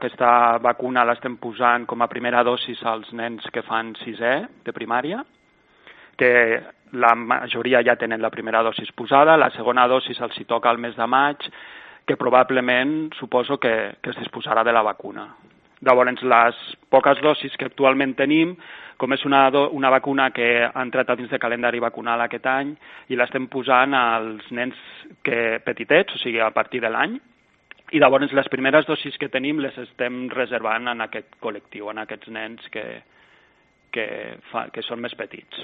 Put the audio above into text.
Aquesta vacuna l'estem posant com a primera dosis als nens que fan 6è de primària, que la majoria ja tenen la primera dosis posada, la segona dosis els hi toca al mes de maig, que probablement suposo que es disposarà de la vacuna. Llavors, les poques dosis que actualment tenim, com és una vacuna que ha entrat a dins de calendari vacunal aquest any, i l'estem posant als nens petitets, o sigui, a partir de l'any, i llavors les primeres dosis que tenim les estem reservant en aquest col·lectiu, en aquests nens que són més petits.